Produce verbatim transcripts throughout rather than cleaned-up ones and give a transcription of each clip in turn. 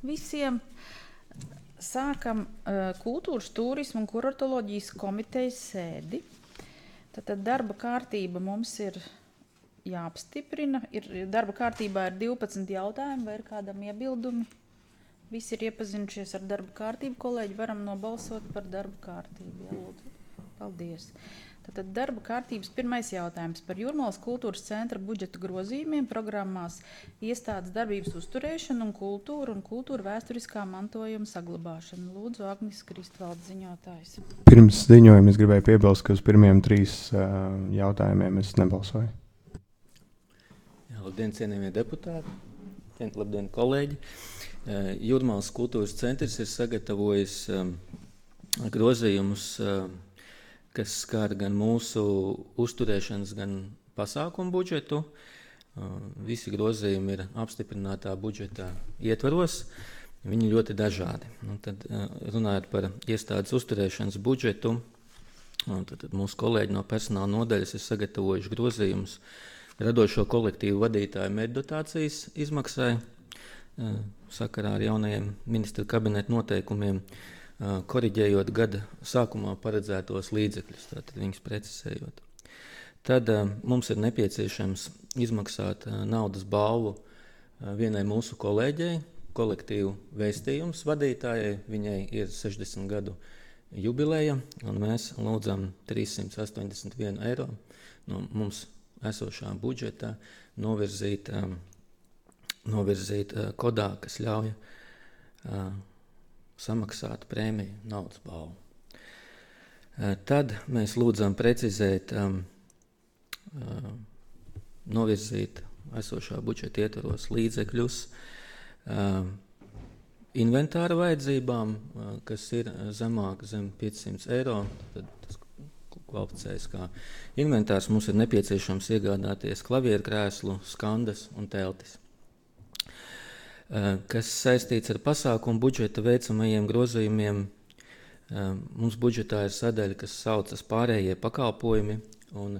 visiem. Sākam uh, kultūras, turismu un kuratoloģijas komitejas sēdi. Tātad darba kārtība mums ir jāapstiprina. Ir, darba kārtībā ir divpadsmit jautājumi, vai ir kādam iebildumi? Visi ir iepazinušies ar darba kārtību. Kolēģi, varam nobalsot par darba kārtību. Jā, lūdzu. Paldies. Tātad darba kārtības pirmais jautājums par Jūrmalas kultūras centra budžeta grozījumiem programmās iestādes darbības uzturēšanu un kultūru un kultūra vēsturiskā mantojuma saglabāšanu. Lūdzu, Agnis Kristvalds ziņotājs. Pirms ziņojuma es gribēju piebilst, ka uz pirmiem trīs uh, jautājumiem es nebalsoju. Jā, labdien, cienījamie deputāti, labdien, kolēģi. Uh, Jūrmalas kultūras centrs ir sagatavojis um, grozījumus, uh, kas skar gan mūsu uzturēšanas, gan pasākumu budžetu. Visi grozījumi ir apstiprinātā budžeta ietvaros. Viņi ļoti dažādi. Un tad, runājot par iestādes uzturēšanas budžetu, tad, tad mūsu kolēģi no personāla nodaļas ir sagatavojuši grozījumus radošo kolektīvu vadītāju meddotācijas izmaksai sakarā ar jaunajiem ministra kabineta noteikumiem, koriģējot gada sākumā paredzētos līdzekļus, tātad viņus precizējot. Tad uh, mums ir nepieciešams izmaksāt uh, naudas balvu uh, vienai mūsu kolēģei, kolektīvu vēstījums vadītājai. Viņai ir sešdesmit gadu jubileja, un mēs lūdzam trīssimt astoņdesmit vienu eiro no mums esošā budžeta novirzīt, um, novirzīt uh, kodā, kas ļauj uh, samaksāt prēmiju naudas balvu. Tad mēs lūdzam precizēt, um, uh, novirzīt esošā budžeta ietvaros līdzekļus uh, inventāra vajadzībām, uh, kas ir zemāk zem piecsimt eiro. Tad tas kvalificējas kā inventārs. Mums ir nepieciešams iegādāties klavierkrēslu, skandas un teltis. Kas saistīts ar pasākumu budžeta veicamajiem grozījumiem. Mums budžetā ir sadaļa, kas saucas pārējie pakalpojumi, un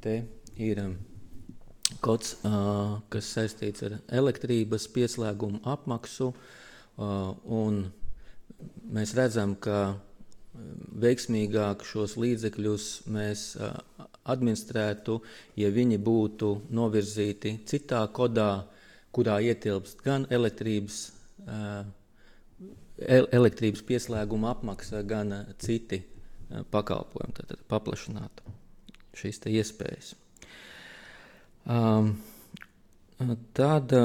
te ir kods, kas saistīts ar elektrības pieslēgumu apmaksu, un mēs redzam, ka veiksmīgāk šos līdzekļus mēs administrētu, ja viņi būtu novirzīti citā kodā, kurā ietilpst gan elektrības, elektrības pieslēguma apmaksa, gan citi pakalpojumi, tātad paplašināt šīs te iespējas. Tad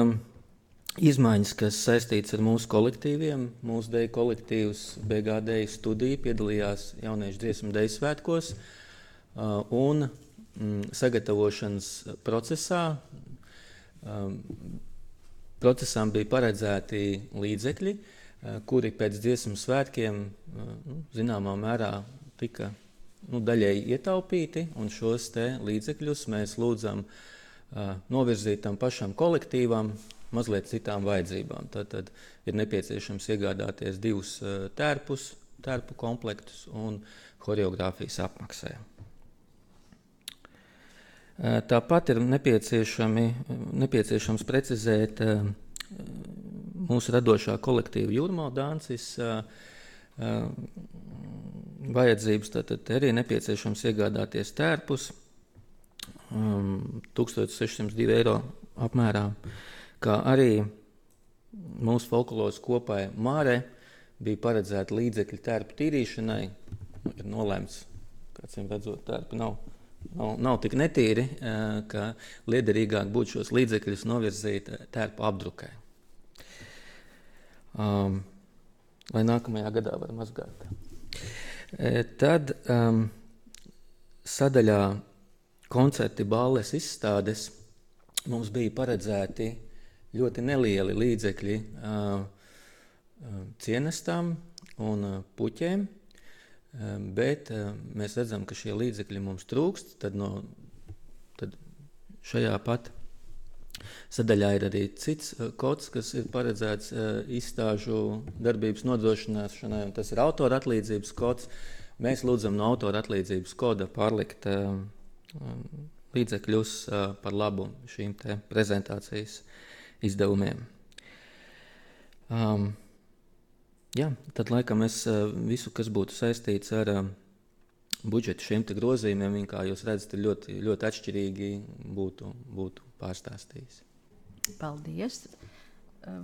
izmaiņas, kas saistīts ar mūsu kolektīviem, mūsu deju kolektīvs B G D studija piedalījās jauniešu dziesmu deju svētkos un sagatavošanas procesā. Procesām bija paredzēti līdzekļi, kuri pēc dziesmu svētkiem nu, zināmā mērā tika nu, daļēji ietaupīti, un šos te līdzekļus mēs lūdzam uh, novirzīt tam pašam kolektīvam mazliet citām vajadzībām. Tad, tad ir nepieciešams iegādāties divus uh, tērpus, tērpu komplektus un horeogrāfijas apmaksē. Tāpat ir nepieciešami, nepieciešams precizēt uh, mūsu radošā kolektīva Jūrmala dances uh, uh, vajadzības. Tātad arī nepieciešams iegādāties tērpus um, tūkstoš sešsimt divi eiro apmērā, kā arī mūsu folkloras kopai Māre bija paredzēta līdzekļi tērpu tīrīšanai. Ir nolēmts, kāds viņam redzot, tērpi nav. Nav, nav tik netīri, ka liederīgāk būtu šos līdzekļus novirzīt tērpu apdrukai. Um, lai nākamajā gadā var mazgāt. E, tad um, sadaļā koncerti, balles, izstādes mums bija paredzēti ļoti nelieli līdzekļi uh, uh, cienestām un uh, puķēm. Bet mēs redzam, ka šie līdzekļi mums trūkst, tad, no, tad šajā pat sadaļā ir arī cits kods, kas ir paredzēts izstāžu darbības nodrošināšanai, un tas ir autora atlīdzības kods. Mēs lūdzam no autora atlīdzības koda pārlikt līdzekļus par labu šīm te prezentācijas izdevumiem. Um, jā, tad laikam es uh, visu, kas būtu saistīts ar uh, budžetu šiem te grozījumiem, kā jūs redzat, ir ļoti, ļoti atšķirīgi, būtu, būtu pārstāstījis. Paldies.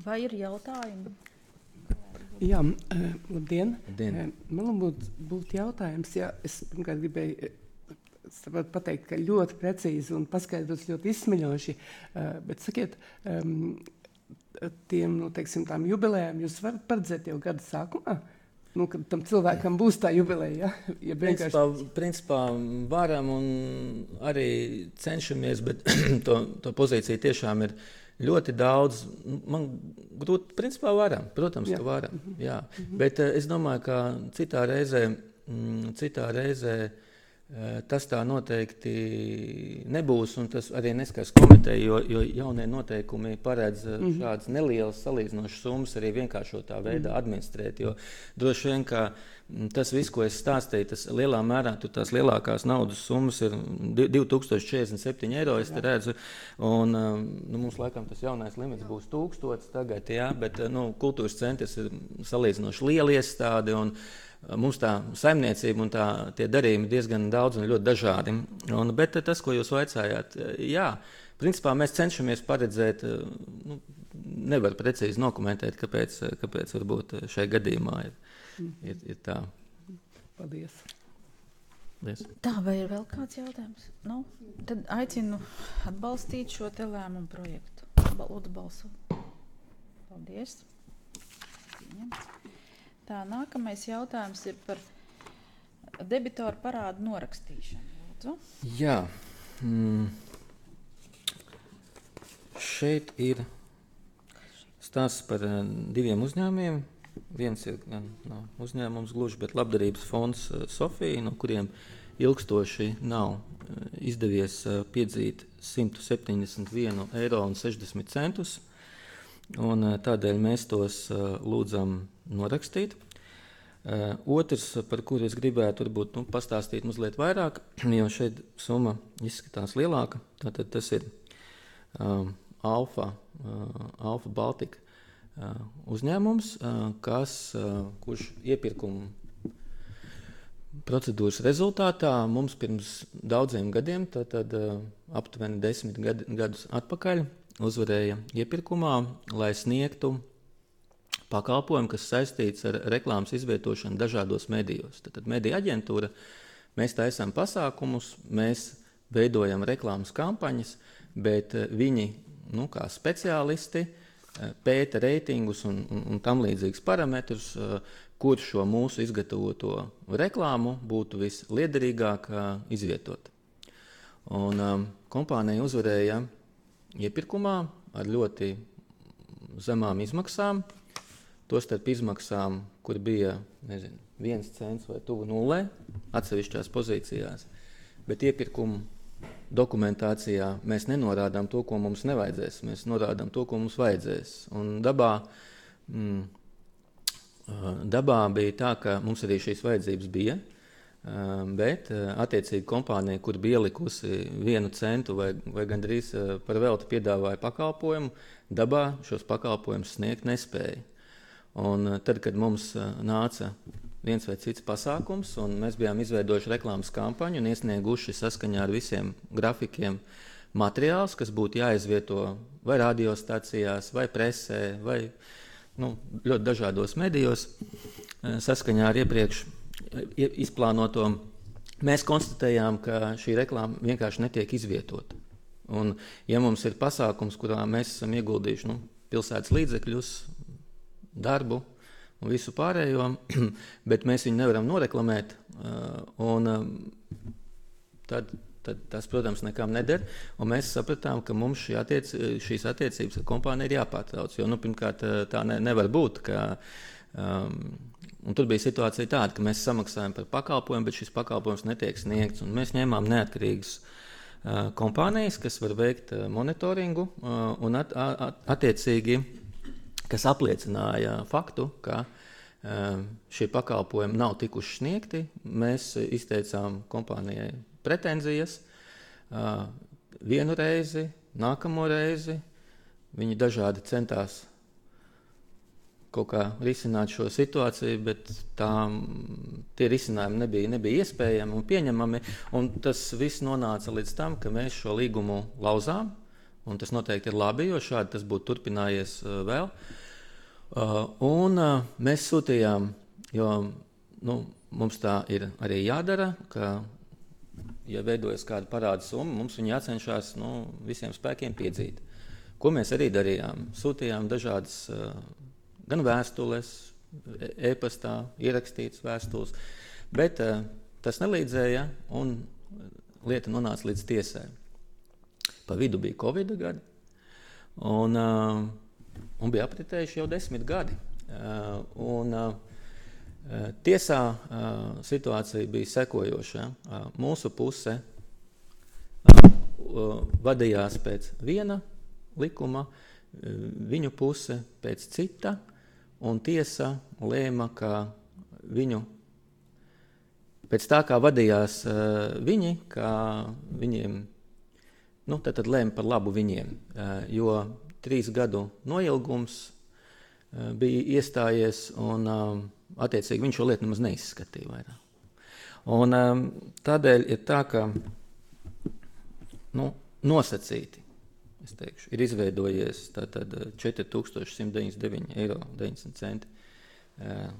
Vai ir jautājumi? Jā, uh, labdien. labdien. Uh, man būtu būt jautājums, ja es pirmkārt gribēju uh, pateikt, ka ļoti precīzi un paskaidrots ļoti izsmeļoši, uh, bet sakiet, um, tiem, nu, teiksim, tām jubilējām jūs varat paredzēt jau gada sākumā? Nu, kad tam cilvēkam būs tā jubileja, ja? Ja vienkārši... principā, principā varam un arī cenšamies, bet to, to pozīciju tiešām ir ļoti daudz. Man grūti, principā varam, protams, jā. Ka varam, jā. Mm-hmm. Bet uh, es domāju, ka citā reizē, mm, citā reizē tas tā noteikti nebūs, un tas arī neskars komiteja, jo, jo jaunie noteikumi paredz mm-hmm. šādas nelielas salīdzinošas summas arī vienkāršotā veidā mm-hmm. administrēt, jo droši vien, ka tas viss, ko es stāstīju, tas lielā mērā, tur tās lielākās naudas summas ir divi tūkstoši četrdesmit septiņi eiro, es te redzu, un nu, mums laikam tas jaunais limits būs tūkstots tagad, jā, bet nu, kultūras centrs ir salīdzinoši liela iestāde, un mums tā saimniecība un tā, tie darījumi diezgan daudz un ļoti dažādi. Un, bet tas, ko jūs vaicājāt, jā, principā mēs cenšamies paredzēt, nu, nevar precīzi dokumentēt, kāpēc, kāpēc varbūt šajā gadījumā ir, ir, ir tā. Paldies. Paldies. Tā, vai ir vēl kāds jautājums? Nu, tad aicinu atbalstīt šo te lēmumu projektu. Lūdzu, balsu. Paldies. Pieņemts. Tā, nākamais jautājums ir par debitoru parādu norakstīšanu. Lūdzu. Jā. Mm. Šeit ir stāsts par uh, diviem uzņēmumiem. Viens ir gan no uzņēmums gluži, bet labdarības fonds uh, Sofija, no kuriem ilgstoši nav uh, izdevies uh, piedzīt simt septiņdesmit vienu eiro un sešdesmit centus. Un, uh, tādēļ mēs tos uh, lūdzam norakstīt. Uh, otrs, par kuru es gribētu varbūt, nu, pastāstīt mazliet vairāk, jo šeit summa izskatās lielāka. Tātad tas ir um, Alfa, uh, Alfa Baltika uh, uzņēmums, uh, kas, uh, kurš iepirkumu procedūras rezultātā mums pirms daudziem gadiem, tātad uh, aptuveni desmit gad, gadus atpakaļ, uzvarēja iepirkumā, lai sniegtu pakalpojumu, kas saistīts ar reklāmas izvietošanu dažādos medijos. Tad mediju aģentūra, mēs taisām pasākumus, mēs veidojam reklāmas kampaņas, bet viņi, nu, kā speciālisti, pēta reitingus un, un, un tam līdzīgus parametrus, kur šo mūsu izgatavoto reklāmu būtu visliederīgāk izvietot. Un um, kompānija uzvarēja iepirkumā ar ļoti zemām izmaksām, tostarp izmaksām, kur bija, nezinu, viens cents vai tuvu nulē atsevišķās pozīcijās, bet iepirkumu dokumentācijā mēs nenorādām to, ko mums nevajadzēs, mēs norādām to, ko mums vajadzēs. Un dabā, mm, dabā bija tā, ka mums arī šīs vajadzības bija, bet attiecīgi kompānija, kur bija ielikusi vienu centu vai, vai gandrīz par velti piedāvāja pakalpojumu, dabā šos pakalpojumus sniegt nespēja. Un tad, kad mums nāca viens vai cits pasākums, un mēs bijām izveidojuši reklāmas kampaņu un iesnieguši saskaņā ar visiem grafikiem materiālus, kas būtu jāizvieto vai radiostacijās, vai presē, vai nu, ļoti dažādos medijos, saskaņā ar iepriekš izplānoto, mēs konstatējām, ka šī reklāma vienkārši netiek izvietota. Un, ja mums ir pasākums, kurā mēs esam ieguldījuši nu, pilsētas līdzekļus, darbu un visu pārējo, bet mēs viņu nevaram noreklamēt, un tad, tad tas, protams, nekam neder, un mēs sapratām, ka mums šī attiec, šīs attiecības ar kompāniju ir jāpārtrauc, jo, nu, pirmkārt, tā ne, nevar būt, ka, um, un tur bija situācija tāda, ka mēs samaksājam par pakalpojumu, bet šis pakalpojums netiek sniegts, un mēs ņēmām neatkarīgas uh, kompānijas, kas var veikt uh, monitoringu, uh, un at, at, attiecīgi kas apliecināja faktu, ka uh, šie pakalpojumi nav tikuši sniegti. Mēs izteicām kompānijai pretenzijas uh, vienu reizi, nākamo reizi. Viņi dažādi centās kaut kā risināt šo situāciju, bet tā, tie risinājumi nebija, nebija iespējami un pieņemami, un tas viss nonāca līdz tam, ka mēs šo līgumu lauzām, un tas noteikti ir labi, jo šādi tas būtu turpinājies uh, vēl. Uh, un uh, mēs sūtījām, jo nu, mums tā ir arī jādara, ka, ja veidojas kāda parāda summa, mums viņi jācenšas nu, visiem spēkiem piedzīt. Ko mēs arī darījām? Sūtījām dažādas uh, gan vēstules, e-pastā, ierakstītas vēstules, bet uh, tas nelīdzēja un lieta nonāca līdz tiesai. Pa vidu bija Covid gadi un, uh, un bija apritējuši jau desmit gadi. Uh, un, uh, Tiesā uh, situācija bija sekojoša. Uh, mūsu puse uh, vadījās pēc viena likuma, uh, viņu puse pēc cita, un tiesa lēma, ka viņu, pēc tā kā vadījās uh, viņi, ka viņiem, nu, tad, tad lēma par labu viņiem, uh, jo trīs gadu noilgums uh, bija iestājies un uh, attiecīgi viņš šo lietu nemaz neizskatīja vairāk. Un um, tādēļ ir tā, ka nu, nosacīti, es teikšu, ir izveidojies tātad četri tūkstoši simt deviņdesmit deviņi eiro deviņdesmit centi uh,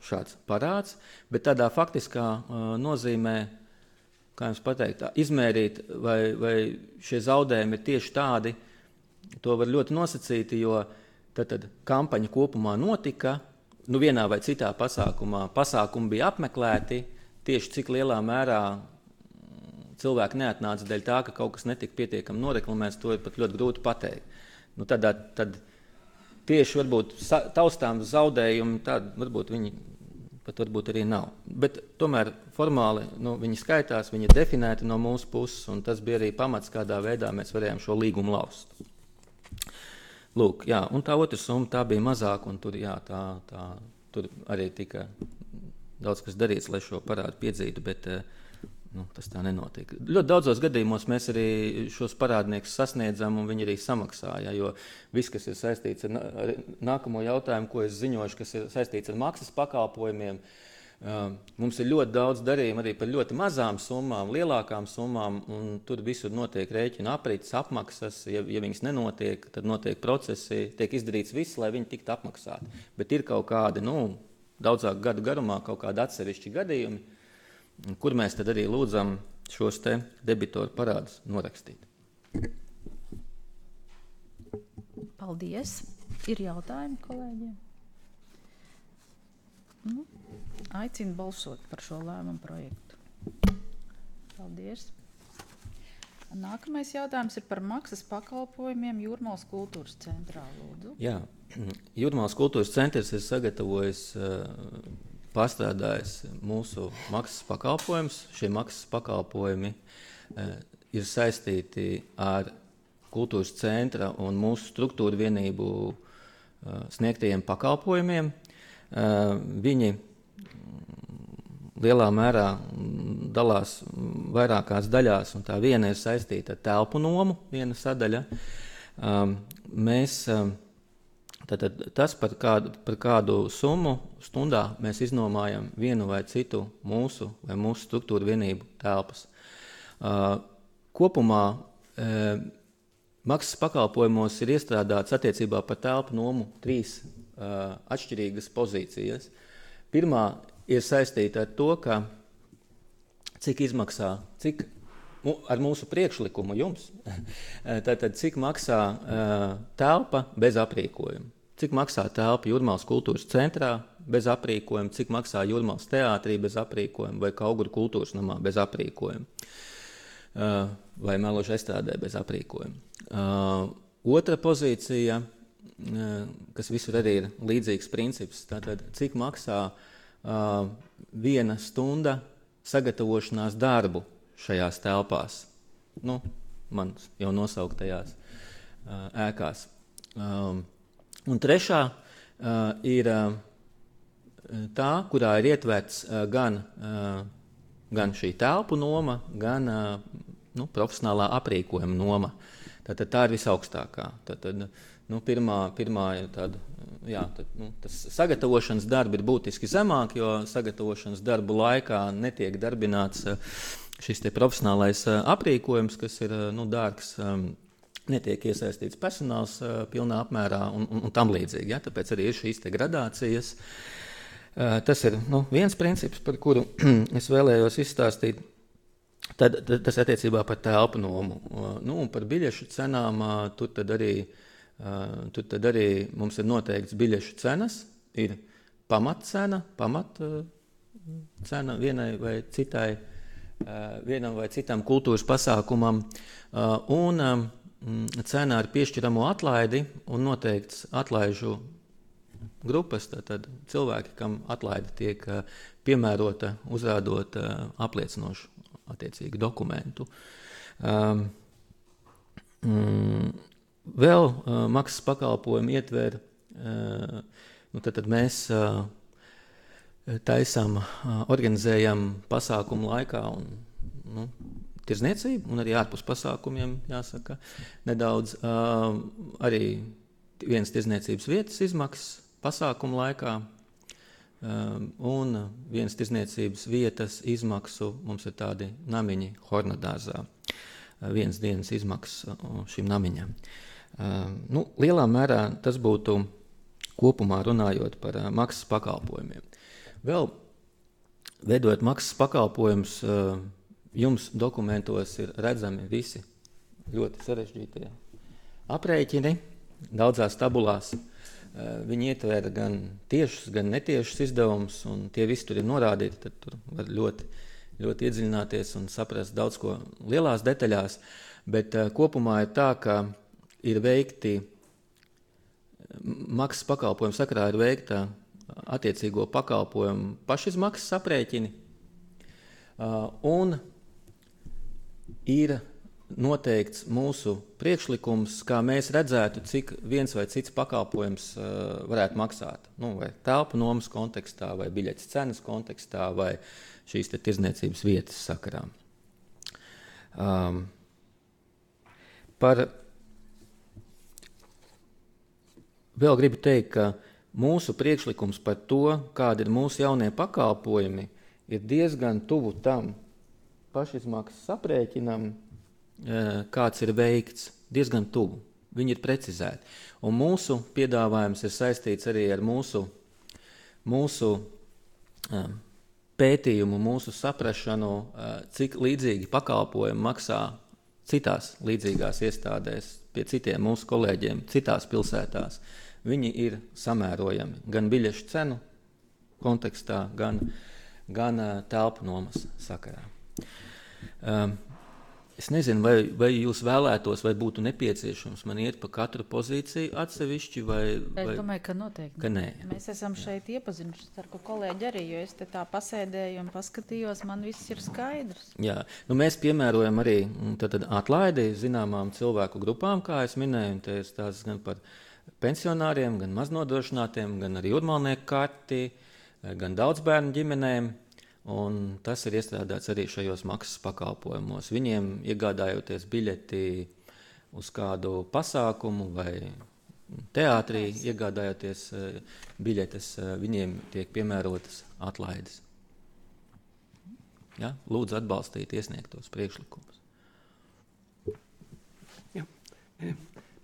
šāds parāds, bet tādā faktiskā uh, nozīmē, kā jums pateikt, tā, izmērīt, vai, vai šie zaudējumi ir tieši tādi, to var ļoti nosacīti, jo tātad kampaņa kopumā notika, nu vienā vai citā pasākumā, pasākumi bija apmeklēti, tieši cik lielā mērā cilvēki neatnāca dēļ tā, ka kaut kas netika pietiekami noreklamēts, to ir pat ļoti grūti pateikt. Nu tādā, tad tieši varbūt taustām zaudējumi, tādi varbūt viņi pat varbūt arī nav. Bet tomēr formāli nu, viņi skaitās, viņi ir definēti no mūsu puses, un tas bija arī pamats, kādā veidā mēs varējām šo līgumu laust. Lūk, jā, un tā otra summa, tā bija mazāka, un tur, jā, tā, tā, tur arī tika daudz kas darīts, lai šo parādu piedzītu, bet nu, tas tā nenotika. Ļoti daudzos gadījumos mēs arī šos parādniekus sasniedzam, un viņi arī samaksāja, jo viss, kas ir saistīts ar, ar nākamo jautājumu, ko es ziņošu, kas ir saistīts ar maksas pakalpojumiem, mums ir ļoti daudz darījumu arī par ļoti mazām summām, lielākām summām, un tur visur notiek rēķina aprits, apmaksas, ja, ja viņas nenotiek, tad notiek procesi, tiek izdarīts viss, lai viņi tiktu apmaksāti. Bet ir kaut kādi, nu, daudzāk gadu garumā kaut kādi atsevišķi gadījumi, kur mēs tad arī lūdzam šos te debitoru parādus norakstīt. Paldies. Ir jautājumi kolēģiem? Nu, aicinu balsot par šo lēmumu projektu. Paldies. Nākamais jautājums ir par maksas pakalpojumiem Jūrmalas kultūras centrā, lūdzu. Jā, Jūrmalas kultūras centrs ir sagatavojis, pārstrādājis mūsu maksas pakalpojumus. Šie maksas pakalpojumi ir saistīti ar kultūras centra un mūsu struktūra vienību sniegtajiem pakalpojumiem. Viņi lielā mērā dalās vairākās daļās, un tā viena ir saistīta ar telpu nomu, viena sadaļa. Mēs, tātad, tas, par kādu, par kādu summu stundā mēs iznomājam vienu vai citu mūsu vai mūsu struktūra vienību telpas. Kopumā maksas pakalpojumos ir iestrādāts attiecībā par telpu nomu trīs Uh, atšķirīgas pozīcijas. Pirmā ir saistīta ar to, ka cik izmaksā, cik ar mūsu priekšlikumu jums, tātad cik maksā uh, telpa bez aprīkojuma, cik maksā telpa Jūrmalas kultūras centrā bez aprīkojuma, cik maksā Jūrmalas teātrī bez aprīkojuma vai Kauguru kultūras namā bez aprīkojuma uh, vai Meložu estrādē bez aprīkojuma. Uh, otra pozīcija, kas visur arī ir līdzīgs princips. Tātad, cik maksā uh, viena stunda sagatavošanās darbu šajās telpās, nu, man jau nosauktajās uh, ēkās. Um, un trešā uh, ir uh, tā, kurā ir ietverts uh, gan, uh, gan šī telpu noma, gan uh, nu, profesionālā aprīkojuma noma. Tātad tā ir visaugstākā. Tātad, nu, pirmā, pirmā ir tāda jā, tad, nu, tas sagatavošanas darbi ir būtiski zemāk, jo sagatavošanas darbu laikā netiek darbināts šis te profesionālais aprīkojums, kas ir nu, dārgs, netiek iesaistīts personāls pilnā apmērā un, un, un tam līdzīgi. Ja? Tāpēc arī ir šīs te gradācijas. Tas ir nu, viens princips, par kuru es vēlējos izstāstīt. Tad, tad, tas attiecībā par telpu nomu. Nu, un par biļešu cenām tur tad arī Uh, tur tad arī mums ir noteikts biļešu cenas, ir pamatcena, pamat uh, cena vienai vai citai, uh, vienam vai citam kultūras pasākumam, uh, un um, cena ar piešķiramo atlaidi un noteikts atlaižu grupas, tad cilvēki, kam atlaide tiek uh, piemērota, uzrādot uh, apliecinošu attiecīgi dokumentu. Um, mm, Vēl uh, maksas pakalpojumi ietver, uh, nu tad, tad mēs uh, taisam, uh, organizējam pasākumu laikā un nu, tirzniecību, un arī ārpus pasākumiem, jāsaka, nedaudz uh, arī vienas tirzniecības vietas izmaksas pasākumu laikā, uh, un vienas tirzniecības vietas izmaksu mums ir tādi namiņi Hornadārzā, uh, vienas dienas izmaksas uh, šim namiņam. Uh, nu, lielā mērā tas būtu kopumā runājot par uh, maksas pakalpojumiem. Vēl veidojot maksas pakalpojumus, uh, jums dokumentos ir redzami visi ļoti sarežģītie aprēķini, daudzās tabulās. Uh, viņi ietver gan tiešus, gan netiešus izdevumus, un tie visi tur ir norādīti, tad tur var ļoti, ļoti iedziļināties un saprast daudz ko lielās detaļās, bet uh, kopumā ir tā, ka ir veikti, maksas pakalpojumu sakarā ir veikta attiecīgo pakalpojumu pašizmaksas aprēķini, un ir noteikts mūsu priekšlikums, kā mēs redzētu, cik viens vai cits pakalpojums varētu maksāt. Nu, vai telpu nomas kontekstā, vai biļetes cenas kontekstā, vai šīs te tirzniecības vietas sakarā. Um, par Vēl gribu teikt, ka mūsu priekšlikums par to, kādi ir mūsu jaunie pakalpojumi, ir diezgan tuvu tam pašizmaksas aprēķinam, kāds ir veikts, diezgan tuvu. Viņi ir precizēti. Un mūsu piedāvājums ir saistīts arī ar mūsu, mūsu pētījumu, mūsu saprašanu, cik līdzīgi pakalpojumi maksā citās līdzīgās iestādēs, pie citiem mūsu kolēģiem, citās pilsētās. Viņi ir samērojami gan biļešu cenu kontekstā, gan, gan uh, telpu nomas sakarā. Um, es nezinu, vai, vai jūs vēlētos, vai būtu nepieciešams man iet pa katru pozīciju atsevišķi, vai... vai... Es domāju, ka noteikti. Ka nē. Mēs esam šeit iepazinuši ar ko kolēģi arī, jo es te tā pasēdēju un paskatījos, man viss ir skaidrs. Jā, nu mēs piemērojam arī tad, tad atlaidi zināmām cilvēku grupām, kā es minēju, un te ir tās gan par pensionāriem, gan maznodrošinātiem, gan arī jūrmalnieku karti, gan daudzbērnu ģimenēm, un tas ir iestrādāts arī šajos maksas pakalpojumos. Viņiem iegādājoties biļeti uz kādu pasākumu vai teātrī, iegādājoties biļetes, viņiem tiek piemērotas atlaides. Ja? Lūdzu atbalstīt iesniegtos priekšlikumus. Jā.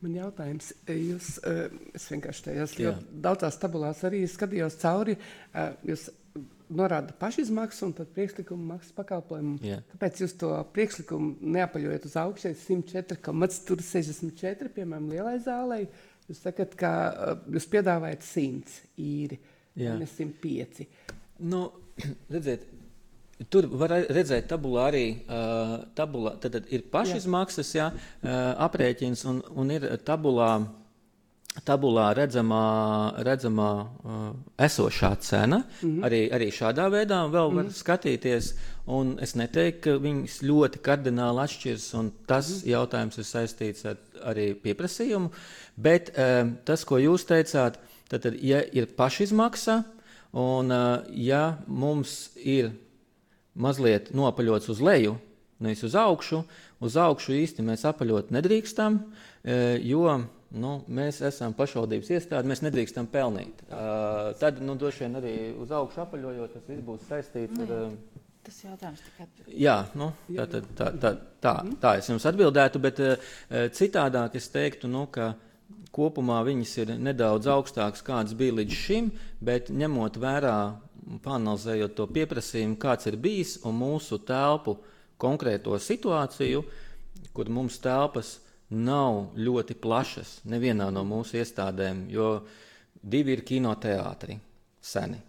Man jautājums, jūs, es vienkārši tajās ļoti daudzās tabulās arī skatījos cauri, jūs norāda pašizmaksu un tad priekšlikumu maksas pakalpojumu. Jā. Kāpēc jūs to priekšlikumu neapaļojat uz augšai simt četri komats sešdesmit četri, piemēram, lielai zālei? Jūs sakat, ka jūs piedāvājat simts īri, ne simt pieci. Nu, redziet, tur var redzēt tabulā arī, uh, tabulā, tad, tad ir pašizmaksas, jā, uh, aprēķins, un, un ir tabulā, tabulā redzamā, redzamā uh, esošā cena, mm-hmm. arī, arī šādā veidā vēl var mm-hmm. skatīties, un es neteiktu, ka viņas ļoti kardināli atšķirs, un tas mm-hmm. jautājums ir saistīts ar arī pieprasījumu, bet um, tas, ko jūs teicāt, tad, tad ja ir pašizmaksa, un uh, ja mums ir mazliet noapaļots uz leju, nevis uz augšu. Uz augšu īsti mēs apaļot nedrīkstam, jo nu, mēs esam pašvaldības iestāde, mēs nedrīkstam pelnīt. Uh, tad, nu, droši vien arī uz augšu apaļojot, tas viss būs saistīts nu, ar... Uh, Tas jautājums tikai... Jā, nu, tā, tā, tā, tā, tā, tā es jums atbildētu, bet uh, citādāk es teiktu, nu, ka kopumā viņas ir nedaudz augstākas, kādas bija līdz šim, bet ņemot vērā, panalizējot to pieprasījumu, kāds ir bijis un mūsu telpu konkrēto situāciju, kur mums telpas nav ļoti plašas nevienā no mūsu iestādēm, jo divi ir kinoteātri seni.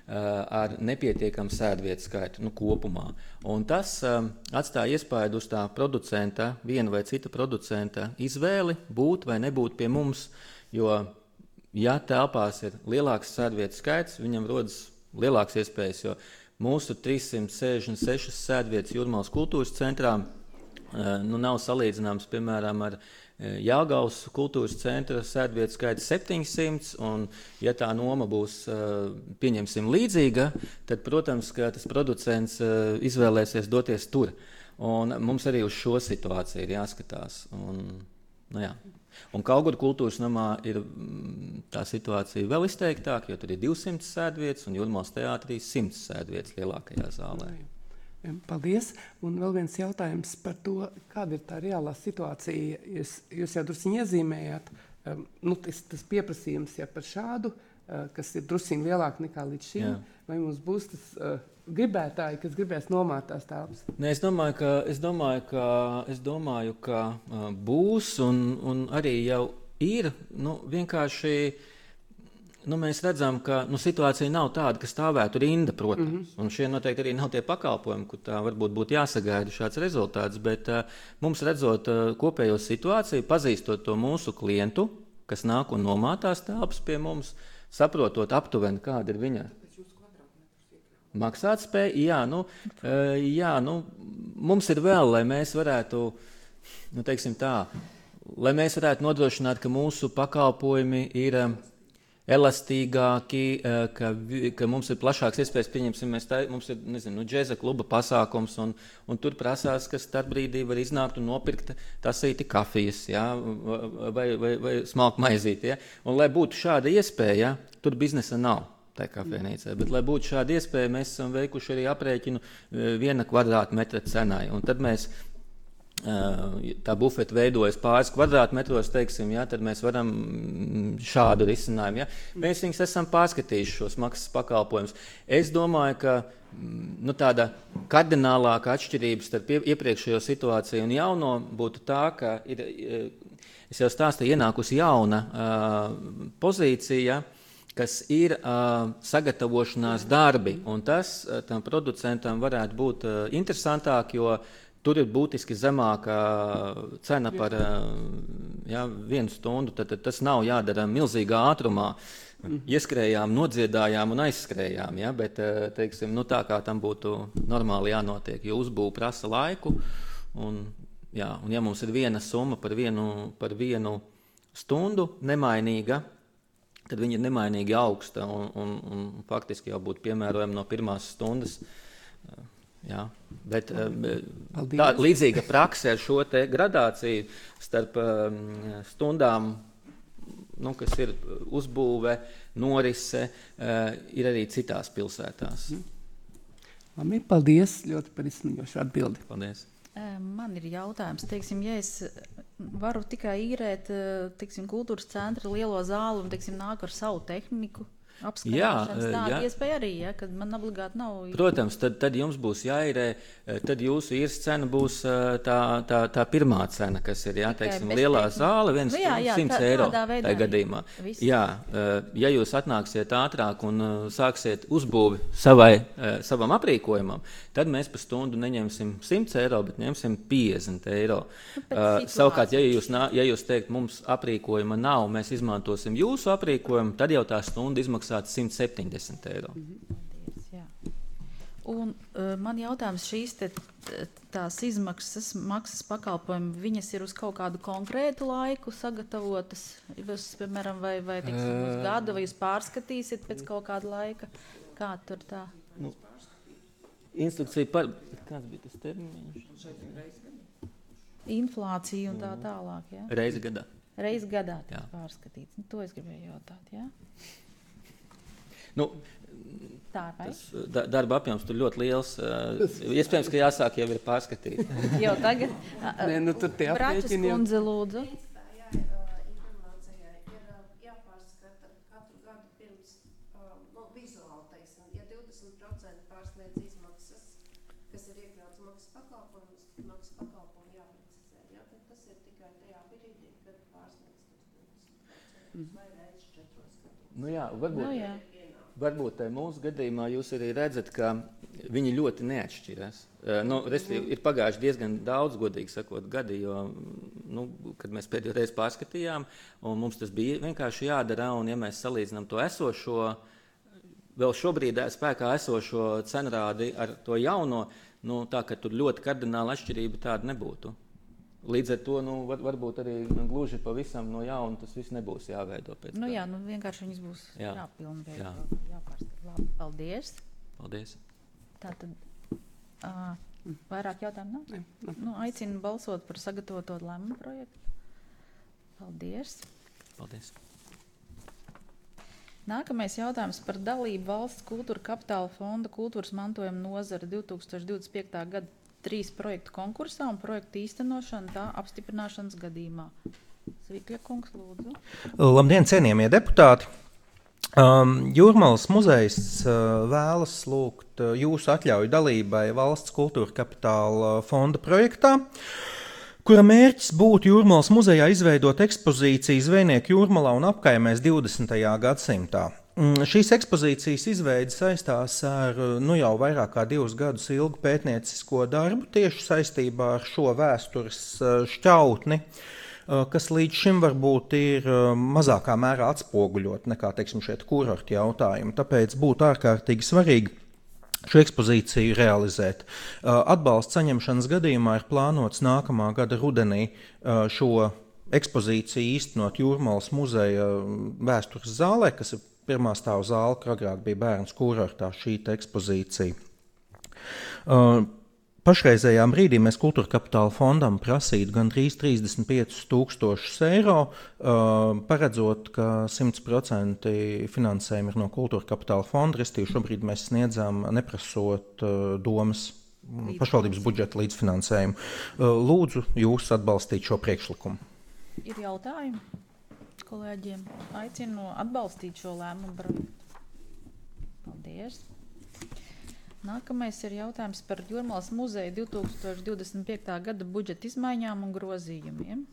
Ar nepietiekamu sēdvietu skaitu nu, kopumā. Un tas um, atstāja iespaidu uz tā producenta, viena vai cita producenta izvēli būt vai nebūt pie mums, jo, ja telpās ir lielāks sēdvietu skaits, viņam rodas lielāks iespējas, jo mūsu trīssimt sešdesmit sešas sēdvietas Jūrmalas kultūras centrā uh, nu, nav salīdzināms, piemēram, ar Jelgavas kultūras centra sēdvietu skaits septiņsimt, un ja tā noma būs, pieņemsim, līdzīga, tad, protams, ka tas producents izvēlēsies doties tur. Un mums arī uz šo situāciju ir jāskatās. Un, nu jā. Un Kauguru kultūras namā ir tā situācija vēl izteiktāka, jo tur ir divsimt sēdvietas, un Jūrmalas teātrī simts sēdvietas lielākajā zālē. Paldies. Un vēl viens jautājums par to, kāda ir tā reālā situācija. Jūs, jūs jau drusciņi iezīmējāt, um, nu, tas, tas pieprasījums ja par šādu, uh, kas ir drusciņi lielāk nekā līdz šim, Jā. Vai mums būs tas uh, gribētāji, kas gribēs nomāt tās telpas? Ne, es domāju, ka, es domāju, ka, es domāju, ka uh, būs un, un arī jau ir, nu, vienkārši... Nu, mēs redzam, ka nu, situācija nav tāda, ka stāvētu rinda, protams. Mm -hmm. Un šie noteikti arī nav tie pakalpojumi, kur tā varbūt būtu jāsagaida šāds rezultāts. Bet uh, mums redzot uh, kopējo situāciju, pazīstot to mūsu klientu, kas nāk un nomātās telpas pie mums, saprotot aptuveni, kāda ir viņa maksātspēja. Jā, nu, uh, jā, nu, mums ir vēl, lai mēs varētu, nu, teiksim tā, lai mēs varētu nodrošināt, ka mūsu pakalpojumi ir... Uh, elastīgāki, ka, ka mums ir plašāks iespējas, pieņemsim, mēs tā, mums ir, nezinu, nu, džeza kluba pasākums, un, un tur prasās, ka starp brīdī var iznākt un nopirkt tasīti kafijas, ja, vai, vai, vai smalku maizīti, ja. Un, lai būtu šāda iespēja, tur biznesa nav tai kafejnīcai, bet, lai būtu šāda iespēja, mēs esam veikuši arī aprēķinu viena kvadrātmetra cenai, un tad mēs tā bufeta veidojas pāris kvadrātmetros, teiksim, ja, tad mēs varam šādu risinājumu. Ja. Mēs viņus esam pārskatījuši šos maksas pakalpojumus. Es domāju, ka nu, tāda kardinālāka atšķirība starp iepriekšējo situāciju un jauno būtu tā, ka ir, es jau stāstīju, ienākusi jauna uh, pozīcija, kas ir uh, sagatavošanās darbi, un tas uh, tam producentam varētu būt uh, interesantāk, jo tur ir būtiski zemāka cena par ja, vienu stundu, tad, tad tas nav jādara milzīgā ātrumā. Ieskrējām, nodziedājām un aizskrējām, ja, bet teiksim, nu, tā kā tam būtu normāli jānotiek, jo uzbūve prasa laiku. Un, jā, un ja mums ir viena summa par vienu, par vienu stundu nemainīga, tad viņa ir nemainīgi augsta un, un, un faktiski jau būtu piemērojama no pirmās stundas. Jā, bet tā līdzīga prakse ar šo te gradāciju starp um, stundām, nu, kas ir uzbūve, norise, uh, ir arī citās pilsētās. Labi, paldies ļoti par izsmeļošu atbildi. Paldies. Man ir jautājums, teiksim, ja es varu tikai īrēt, teiksim, kultūras centra lielo zāli un, teiksim, nāk ar savu tehniku, apskatīšanas, tāda iespēja arī, ja, kad man obligāti nav... Protams, tad, tad jums būs jāīrē, tad jūsu īres cena būs tā, tā, tā pirmā cena, kas ir, jā, teiksim, lielā zāle, viens nu, jā, jā, simts eiro tajā gadījumā. Viss. Jā, ja jūs atnāksiet ātrāk un sāksiet uzbūvi savai, savam aprīkojumam, tad mēs par stundu neņemsim simts eiro, bet ņemsim piecdesmit eiro. Uh, savukārt, ja jūs, ja jūs teikt, mums aprīkojuma nav, mēs izmantosim jūsu aprīkojumu, tad jau tā stunda izmaksātu simt septiņdesmit eiro. Paldies, jā. Un uh, man jautājums, šīs te, tās izmaksas, maksas pakalpojumi, viņas ir uz kaut kādu konkrētu laiku sagatavotas, jūs, piemēram, vai, vai teiksim, uz gadu, vai jūs pārskatīsiet pēc kaut kāda laika? Kā tur tā? Nu, instrukcija par... Kāds bija tas termiņš? Inflācija un tā tālāk, jā? Reizi gadā. Reiz gadā Jā. tiek pārskatīts. Nu, to es gribēju jautāt, jā? Nu, Tā vai? tas da, darba apjoms tur ļoti liels. Uh, iespējams, ka jāsāk jau ir pārskatīt. Jau tagad. Nē, nu tur tie Bračas aprēķini jau- kundze, lūdzu. Principā, jā, ā, informācijai ir ā, jāpārskata katru gadu pirms ā, nu, vizuāli, teiksim, ja divdesmit procenti pārsniedz izmaksas, kas ir iekļauts maksas pakalpojumus, tad maksas pakalpojumu jāprecizē. Jā, tad tas ir tikai tajā brīdī, kad pārsniedz tos divdesmit procentus vai reiz četros gados. Nu jā, varbūt, Nu, jā. varbūt te mūsu gadījumā jūs arī redzat, ka viņi ļoti neatšķiras. Uh, nu, respektīvi, ir pagājuši diezgan daudz, godīgi sakot, gadi, jo, nu, kad mēs pēdējo reizi pārskatījām, un mums tas bija vienkārši jādara, un ja mēs salīdzinām to esošo, vēl šobrīd spēkā esošo cenrādi ar to jauno, nu, tā, ka tur ļoti kardināla atšķirība tāda nebūtu. Līdz ar to, nu, var, varbūt arī gluži pavisam no jauna tas viss nebūs jāveido pēc Nu tā. jā, nu vienkārši viņas būs Jā. jāpilnveido, Jā. jāpārskata. Labi, paldies. Paldies. Tātad ā, vairāk jautājumu nav? Nē, Nu, aicinu balsot par sagatavoto lēmumu projektu. Paldies. Paldies. Nākamais jautājums par dalību valsts kultūra kapitāla fonda kultūras mantojuma nozara divi tūkstoši divdesmit piekta gada trīs projektu konkursā un projektu īstenošana tā apstiprināšanas gadījumā. Svikļa kungs, lūdzu. Labdien, cienījamie deputāti! Um, Jūrmalas muzejs uh, vēlas lūgt uh, jūsu atļauju dalībai valsts kultūra kapitāla fonda projektā, kura mērķis būtu Jūrmalas muzejā izveidot ekspozīciju Zvejnieku Jūrmalā un apkaimēs divdesmitajā gadsimtā. Mm, Šīs ekspozīcijas izveide saistās ar uh, nu jau vairāk kā divus gadus ilgu pētniecisko darbu tieši saistībā ar šo vēstures uh, šķautni, kas līdz šim varbūt ir mazākā mērā atspoguļot nekā, teiksim, šeit kurortu jautājumu. Tāpēc būtu ārkārtīgi svarīgi šo ekspozīciju realizēt. Atbalsts saņemšanas gadījumā ir plānots nākamā gada rudenī šo ekspozīciju īstenot Jūrmalas muzeja vēstures zālē, kas ir pirmā stāva zāle, kur agrāk bija bērns kurortā šī ekspozīcija. Pašreizējā brīdī mēs kultūra kapitāla fondam prasītu gandrīz trīsdesmit piecus tūkstošus eiro, paredzot, ka simt procenti finansējumi ir no kultūra kapitāla fonda, restīvi šobrīd mēs sniedzam neprasot domas pašvaldības budžeta līdzfinansējumu. Lūdzu jūs atbalstīt šo priekšlikumu. Ir jautājumi kolēģiem? Aicinu atbalstīt šo lēmumu projektu. Paldies. Nākamais ir jautājums par Jūrmalas muzeja divi tūkstoši divdesmit piekta gada budžeta izmaiņām un grozījumiem.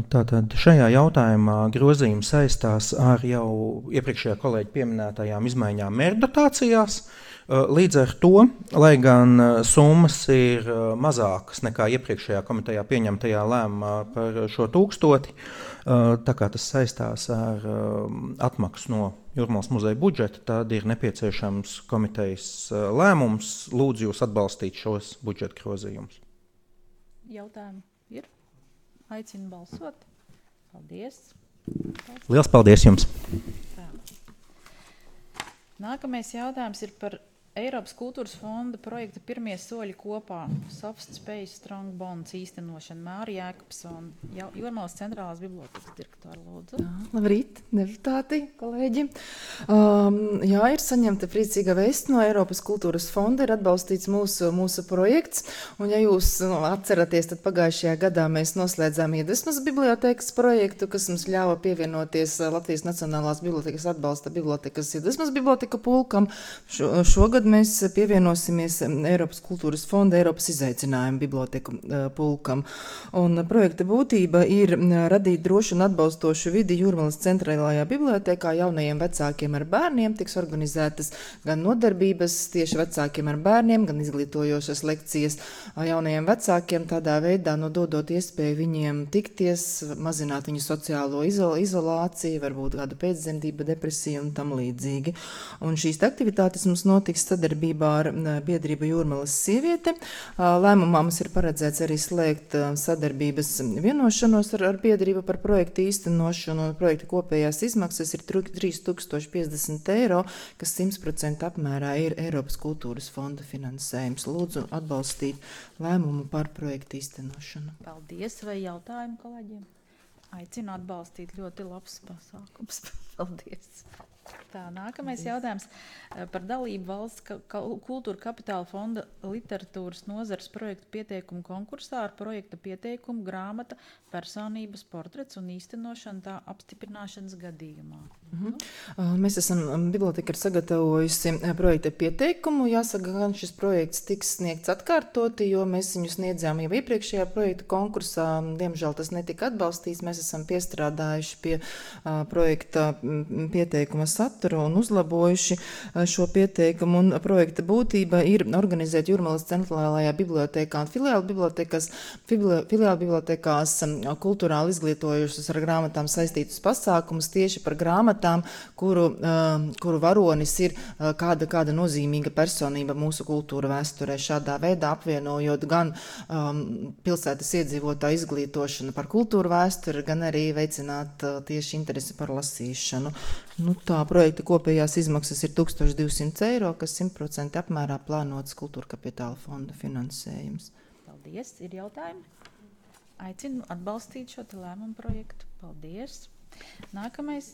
Tātad šajā jautājumā grozījums saistās ar jau iepriekšējā kolēģa pieminētajām izmaiņām mērķdotācijās. Līdz ar to, lai gan summas ir mazākas nekā iepriekšējā komitejā pieņemtajā lēmumā par šo tūkstoti, tā kā tas saistās ar atmaksu no Jūrmalas muzeja budžeta, tad ir nepieciešams komitejas lēmums. Lūdzu jūs atbalstīt šos budžeta grozījumus. Jautājumi ir? Aicinu balsot. Paldies. Liels paldies jums! Tā. Nākamais jautājums ir par Eiropas kultūras fonda projekta pirmie soļi kopā Soft Space Strong Bonds īstenošana. Māra Jēkabsona, Jūrmalas centrālās bibliotekas direktora, lūdzu. Jā, labrīt, deputāti, kolēģi. Um, jā, ir saņemta priecīga vēsts no Eiropas kultūras fonda, ir atbalstīts mūsu, mūsu projekts. Un ja jūs nu, atceraties, tad pagājušajā gadā mēs noslēdzām Iedvesmas bibliotekas projektu, kas mums ļāva pievienoties Latvijas Nacionālās bibliotekas atbalsta bibliotekas Iedvesmas biblioteka pulkam. Šo, šogad mēs pievienosimies Eiropas kultūras fonda Eiropas izaicinājumu biblioteku pulkam. Un projekta būtība ir radīt drošu un atbalstošu vidi Jūrmalas centrālajā bibliotekā jaunajiem vecākiem ar bērniem. Tiks organizētas gan nodarbības tieši vecākiem ar bērniem, gan izglītojošas lekcijas jaunajiem vecākiem, tādā veidā nododot iespēju viņiem tikties, mazināt viņu sociālo izol izolāciju, varbūt kādu pēcdzemdību, depresiju un tam līdzīgi. Un šīs aktivitātes mums notiks sadarbībā ar biedrību Jūrmalas sieviete. Lēmumā mums ir paredzēts arī slēgt sadarbības vienošanos ar, ar biedrību par projektu īstenošanu, un projekta kopējās izmaksas ir trīs tūkstoši piecdesmit eiro, kas simt procenti apmērā ir Eiropas kultūras fonda finansējums. Lūdzu atbalstīt lēmumu par projektu īstenošanu. Paldies. Vai jautājumi kolēģiem? Aicinu atbalstīt, ļoti labs pasākums. Paldies! Tā, nākamais jautājums par dalību valsts ka, ka, kultūra kapitāla fonda literatūras nozares projektu pieteikumu konkursā ar projekta pieteikumu grāmata personības portrets un īstenošana tā apstiprināšanas gadījumā. Mhm. Uh, Mēs esam, biblioteka ir sagatavojusi projekta pieteikumu. Jāsaka, gan šis projekts tiks sniegts atkārtoti, jo mēs viņu sniedzām jau iepriekšējā projekta konkursā. Diemžēl tas netika atbalstīts. Mēs esam piestrādājuši pie uh, projekta pieteikuma saturu un uzlabojuši uh, šo pieteikumu. Un projekta būtība ir organizēt Jūrmalas centrālajā bibliotekā un filiāla bibliotekās, filiāla bibliotekās um, kultūrāli izglītojušas ar grāmatām saistītus pasākumus tieši par grāmatām, kuru, uh, kuru varonis ir uh, kāda, kāda nozīmīga personība mūsu kultūra vēsturē. Šādā veidā apvienojot gan um, pilsētas iedzīvotāju izglītošanu par kultūra vēsturi, gan arī veicināt uh, tieši interesi par lasīšanu. Nu, tā projekta kopējās izmaksas ir tūkstoš divsimt eiro, kas simt procenti apmērā plānots kultūra kapitāla fonda finansējums. Paldies! Ir jautājumi? Aicinu atbalstīt šo te lēmumu projektu. Paldies! Nākamais,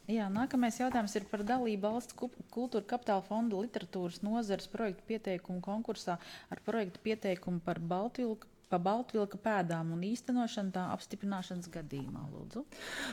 jā, nākamais jautājums ir par dalību valsts kultūra kapitāla fonda literatūras nozares projektu pieteikumu konkursā ar projektu pieteikumu par Baltvilku pa Baltvilka pēdām un īstenošanu tā apstiprināšanas gadījumā, lūdzu.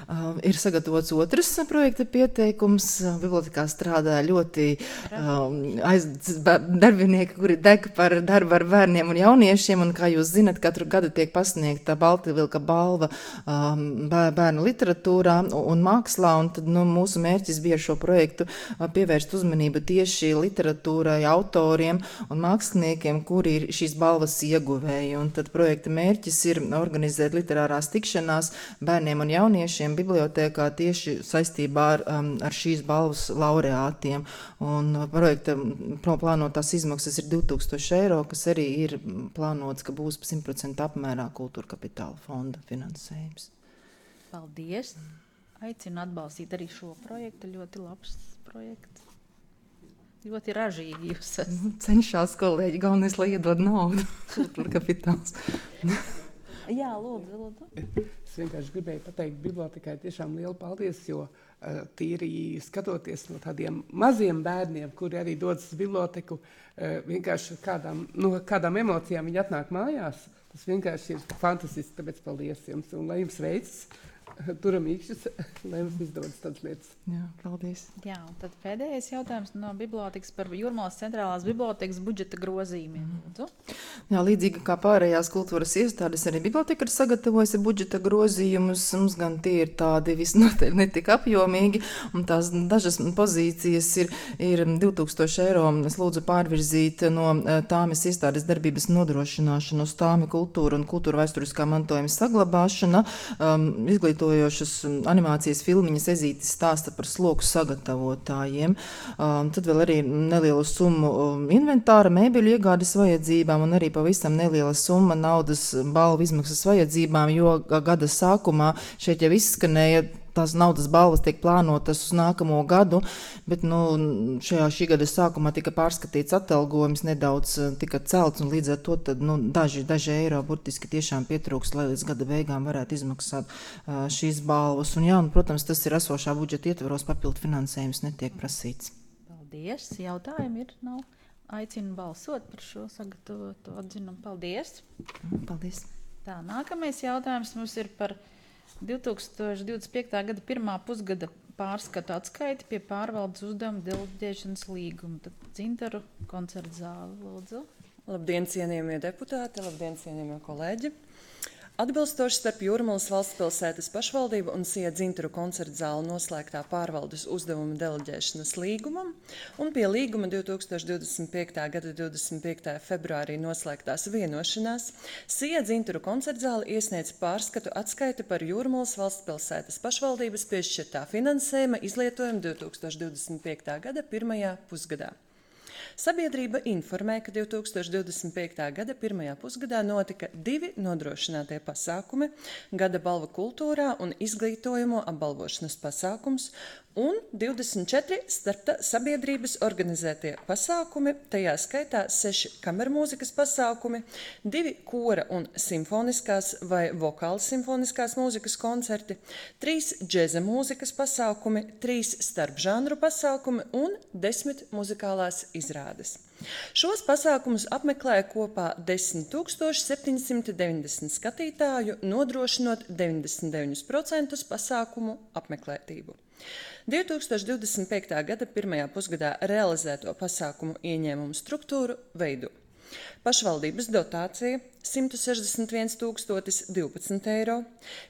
Uh, ir sagatavots otrs projekta pieteikums. Bibliotekā strādā ļoti um, aiz, darbinieki, kuri deg par darbu ar bērniem un jauniešiem, un kā jūs zinat, katru gadu tiek pasniegta Baltvilka balva um, bērnu literatūrā un mākslā, un tad nu, mūsu mērķis bija šo projektu uh, pievērst uzmanību tieši literatūrai, autoriem un māksliniekiem, kuri ir šīs balvas ieguvēji. Un tad projekta mērķis ir organizēt literārās tikšanās bērniem un jauniešiem bibliotēkā tieši saistībā ar, um, ar šīs balvas laureātiem. Un projekta plānotās izmaksas ir divi tūkstoši eiro, kas arī ir plānots, ka būs simt procenti apmērā kultūra kapitāla fonda finansējums. Paldies! Aicinu atbalstīt arī šo projektu. Ļoti labs projekts. Ļoti ražīgi jūs esat. Cenšās kolēģi, galvenais, lai iedod naudu. Kultūra kapitāls. Jā, lūdzu, lūdzu. Es vienkārši gribēju pateikt bibliotekai tiešām lielu paldies, jo uh, tīri skatoties no tādiem maziem bērniem, kuri arī dodas uz biblioteku, uh, vienkārši kādām, no kādām emocijām viņi atnāk mājās, tas vienkārši ir fantastiski, tāpēc paldies jums un lai jums veicas. Turam īkšķus, lai mums izdodas tādas lietas. Jā, paldies. Jā, un tad pēdējais jautājums no bibliotekas par Jūrmalas centrālās bibliotekas budžeta grozījumiem. Lūdzu. Jā, līdzīgi kā pārējās kultūras iestādes, arī biblioteka ir sagatavojusi budžeta grozījumus. Mums gan tie ir tādi visnotaļ netik apjomīgi, un tās dažas pozīcijas ir, ir divi tūkstoši eiro. Es lūdzu pārvirzīt no tāmes iestādes darbības nodrošināšanu uz tāmi kultūra un kultūra vēsturiskā mantojuma saglabāšana, um, izglītošana, animācijas filmiņas Ezītis stāsta par sloku sagatavotājiem. Um, tad vēl arī nelielu summu um, inventāra, mēbeļu iegādes vajadzībām un arī pavisam neliela summa naudas balvu izmaksas vajadzībām, jo gada sākumā šeit jau izskanēja, tās naudas balvas tiek plānotas uz nākamo gadu, bet nu, šajā šī gada sākumā tika pārskatīts atalgojums, nedaudz tika celts, un līdz ar to tad, nu, daži, daži eiro burtiski tiešām pietrūks, lai līdz gada beigām varētu izmaksāt uh, šīs balvas. Un jā, un, protams, tas ir esošā budžeta ietvaros, papildu finansējums netiek prasīts. Paldies. Jautājumi ir, nav. Aicinu balsot par šo sagatavotu atzinumu. Paldies. Paldies. Tā, nākamais jautājums mums ir par divi tūkstoši divdesmit piektā gada pirmā pusgada pārskatu atskaiti pie pārvaldes uzdevuma deleģēšanas līguma. Tad Dzintaru koncerta zāle, lūdzu. Labdien, cienījamie deputāti, labdien, cienījamie kolēģi. Atbilstoši starp Jūrmalas valstspilsētas pašvaldību un Sija Dzintaru koncerta zāli noslēgtā pārvaldes uzdevuma deleģēšanas līgumam un pie līguma divi tūkstoši divdesmit piektā gada divdesmit piektā februārī noslēgtās vienošanās, Sija Dzintaru koncerta zāle iesniedz pārskatu atskaiti par Jūrmalas valstspilsētas pašvaldības piešķirtā finansējuma izlietojumu divi tūkstoši divdesmit piektā gada pirmajā pusgadā. Sabiedrība informē, ka divi tūkstoši divdesmit piektā gada pirmajā pusgadā notika divi nodrošinātie pasākumi – gada balva kultūrā un izglītojumu apbalvošanas pasākums, un divdesmit četri starpta sabiedrības organizētie pasākumi, tajā skaitā seši kamermūzikas pasākumi, divi kora un simfoniskās vai vokālas simfoniskās mūzikas koncerti, trīs džeza mūzikas pasākumi, trīs starpžanru pasākumi un desmit muzikālās izrādes. Šos pasākumus apmeklēja kopā desmit tūkstoši septiņi simti deviņdesmit skatītāju, nodrošinot deviņdesmit deviņus procentus pasākumu apmeklētību. divi tūkstoši divdesmit piektā gada pirmajā pusgadā realizēto pasākumu ieņēmumu struktūru veido pašvaldības dotācija simt sešdesmit viens tūkstotis divpadsmit eiro,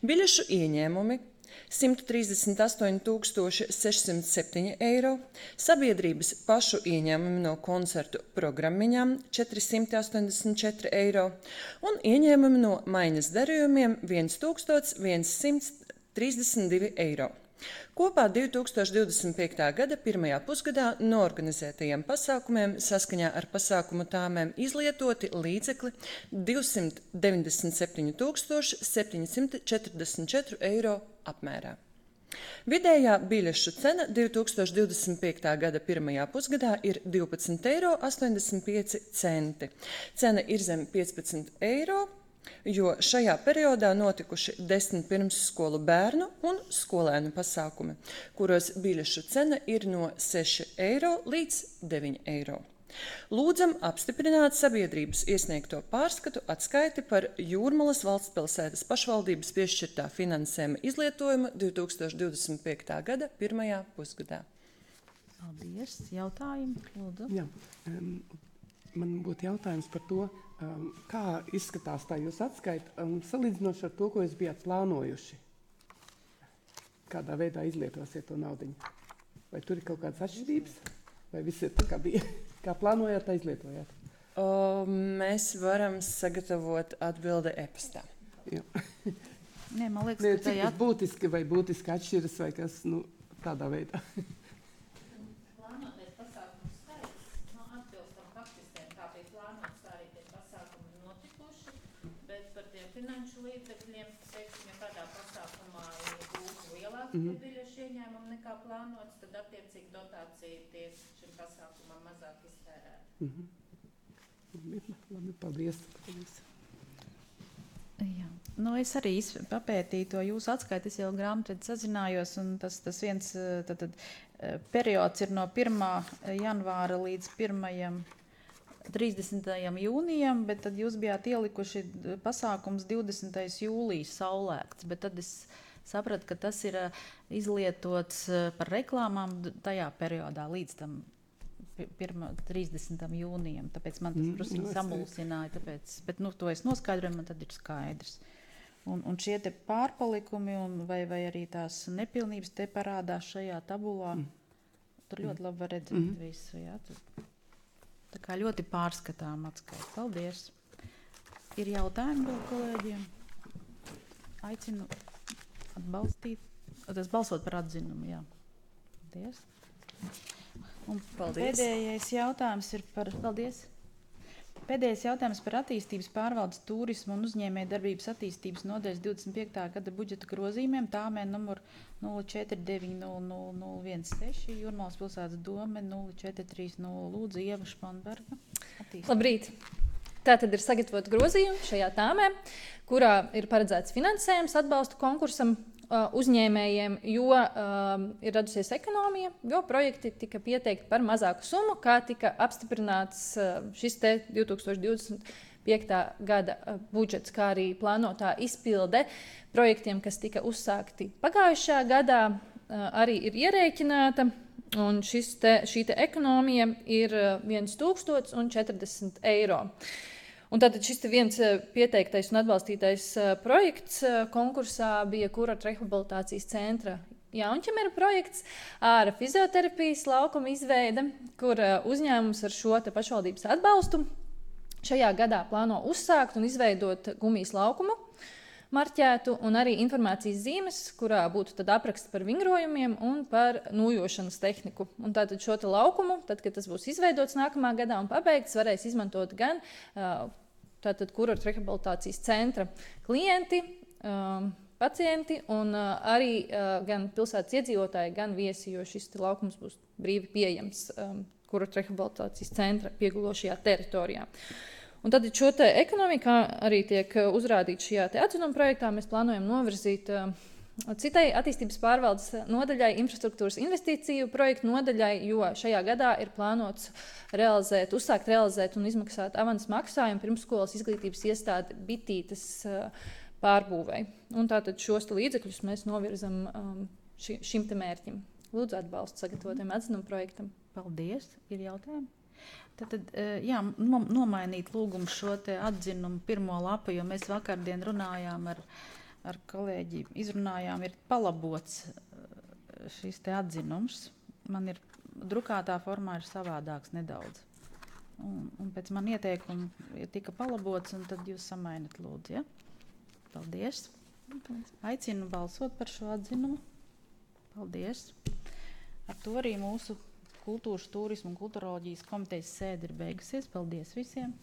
biļešu ieņēmumi simt trīsdesmit astoņi tūkstoši sešsimt septiņi eiro, sabiedrības pašu ieņēmumi no koncertu programmiņām četri simti astoņdesmit četri eiro un ieņēmumi no maiņas darījumiem simt trīsdesmit divi eiro. Kopā divi tūkstoši divdesmit piektā gada pirmajā pusgadā noorganizētajiem pasākumiem saskaņā ar pasākumu tāmēm izlietoti līdzekļi divsimt deviņdesmit septiņi tūkstoši septiņi simti četrdesmit četri eiro apmērā. Vidējā biļešu cena divi tūkstoši divdesmit piektā gada pirmajā pusgadā ir divpadsmit eiro astoņdesmit pieci centi. Cena ir zem piecpadsmit eiro, jo šajā periodā notikuši desmit pirmsskolu bērnu un skolēnu pasākumi, kuros biļešu cena ir no seši eiro līdz deviņi eiro. Lūdzam apstiprināt sabiedrības iesniegto pārskatu atskaiti par Jūrmalas valstspilsētas pašvaldības piešķirtā finansējuma izlietojumu divi tūkstoši divdesmit piektā gada pirmajā pusgadā. Paldies. Jautājumi? Lūdzu. Jā, um, man būtu jautājums par to, um, kā izskatās tā jūs atskaita, um, salīdzinoši ar to, ko jūs bijāt plānojuši. Kādā veidā izlietosiet to naudiņu? Vai tur ir kaut kādas atšķirības? Vai viss ir tā, kā bija? Kā plānojāt, tā izlietojāt? O, mēs varam sagatavot atbildi e-pastā. Jā. Nē, man liekas, Nē, ka cik tajā tas būtiski vai būtiski atšķiras vai kas, nu, tādā veidā. plānotais pasākumu skaits, nu, atbilstam faktistiem, kā bija plānots, tā arī tie pasākumi notikuši, bet par tiem finanšu līdzekļiem, teiksim, ja kādā pasākumā ir būtu lielāks mm -hmm. biļešu ieņēmumi nekā plānots, tad attiecīgi dotācija tiek šim pasākumam mazāk iztērēta. Mm -hmm. Labi, labi, paldies. paldies. Jā. Nu, es arī izp- papētīju to jūsu atskaiti, es jau grāmatvedī sazinājos, un tas, tas viens tad, tad, periods ir no pirmā janvāra līdz pirmajam trīsdesmitajam jūnijam, bet tad jūs bijāt ielikuši pasākums divdesmitais jūlijas saulēkts, bet tad es sapratu, ka tas ir izlietots par reklāmām tajā periodā līdz tam trīsdesmitajam jūnijam, tāpēc man tas Mm, drusku nu, samulsināja, tāpēc, bet nu, to es noskaidroju, man tad ir skaidrs. Un, un šie te pārpalikumi un vai, vai arī tās nepilnības te parādās šajā tabulā, Mm. tur ļoti labi var redzēt Mhm. visu, jā, tur. Tā kā ļoti pārskatām atskaita. Paldies. Ir jautājumi vēl kolēģiem? Aicinu atbalstīt, tas balsot par atzinumu, jā. Paldies. Un Paldies. pēdējais jautājums ir par, paldies. Pēdējais jautājums par attīstības pārvaldes turismu un uzņēmēju darbības attīstības nodaļas divdesmit piektā gada budžeta grozījumiem, tāmē numur nulle četri deviņi nulle nulle nulle viens seši, Jūrmalas pilsētas dome nulle četri trīs nulle, lūdzu, Ieva Španberga. Attīstības. Labrīt! Tātad ir sagatavot grozījumi šajā tāmē, kurā ir paredzēts finansējums atbalstu konkursam uh, uzņēmējiem, jo uh, ir radusies ekonomija, jo projekti tika pieteikti par mazāku summu, kā tika apstiprināts uh, šis te divi tūkstoši divdesmit piektā gada uh, budžets, kā arī plānotā izpilde projektiem, kas tika uzsākti pagājušajā gadā, uh, arī ir ierēķināta. Un šis te, šī te ekonomija ir viens tūkstots un četrdesmit eiro. Un tātad šis te viens pieteiktais un atbalstītais projekts konkursā bija Kurortu rehabilitācijas centra Jaunķemera projekts ar fizioterapijas laukuma izveide, kur uzņēmums ar šo te pašvaldības atbalstu šajā gadā plāno uzsākt un izveidot gumijas laukumu, marķētu un arī informācijas zīmes, kurā būtu tad apraksts par vingrojumiem un par nūjošanas tehniku. Un tātad šo te laukumu, tad, kad tas būs izveidots nākamā gadā un pabeigts, varēs izmantot gan tātad kurortu rehabilitācijas centra klienti, pacienti un uh, arī uh, gan pilsētas iedzīvotāji, gan viesi, jo šis laukums būs brīvi pieejams um, kura rehabilitācijas centra piegulošajā teritorijā. Un tad šo te ekonomiku arī tiek uzrādīts šajā te atzinuma projektā. Mēs plānojam novirzīt uh, citai attīstības pārvaldes nodaļai, infrastruktūras investīciju projektu nodaļai, jo šajā gadā ir plānots realizēt, uzsākt realizēt un izmaksāt avans maksājumu pirmsskolas izglītības iestādi Bitītes uh, pārbūvei. Un tātad šos līdzekļus mēs novirzam um, ši, šim te mērķim. Lūdzu atbalstu sagatavotiem atzinuma projektam. Paldies. Ir jautājumi? Tad, jā, nomainīt lūgumu šo te atzinumu pirmo lapu, jo mēs vakardien runājām ar, ar kolēģi, izrunājām, ir palabots šis te atzinums. Man ir drukātā formā ir savādāks nedaudz. Un, un pēc man ieteikumu tika palabots, un tad jūs samainat lūdzu, ja? Paldies. Aicinu balsot par šo atzinumu. Paldies. Ar to arī mūsu Kultūras, turisma un kulturoloģijas komitejas sēde ir beigusies. Paldies visiem!